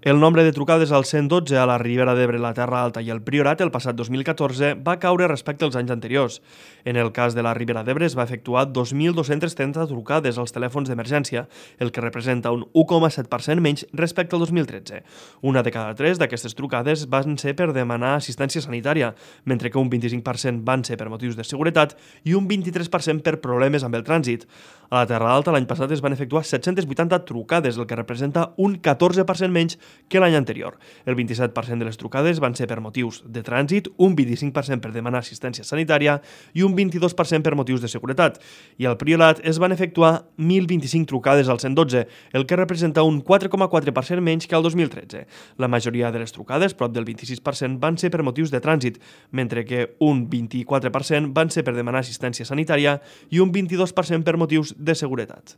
El nombre de trucades al 112 a la Ribera d'Ebre, la Terra Alta i el Priorat el passat 2014 va caure respecte als anys anteriors. En el cas de la Ribera d'Ebre es va efectuar 2.230 trucades als telèfons d'emergència, el que representa un 1,7% menys respecte al 2013. Una de cada tres d'aquestes trucades van ser per demanar assistència sanitària, mentre que un 25% van ser per motius de seguretat i un 23% per problemes amb el trànsit. A la Terra Alta l'any passat es van efectuar 780 trucades, el que representa un 14% menys que l'any anterior. El 27% de les trucades van ser per motius de trànsit, un 25% per demanar assistència sanitària i un 22% per motius de seguretat. I al Priorat es van efectuar 1.025 trucades al 112, el que representa un 4,4% menys que el 2013. La majoria de les trucades, prop del 26%, van ser per motius de trànsit, mentre que un 24% van ser per demanar assistència sanitària i un 22% per motius de seguretat.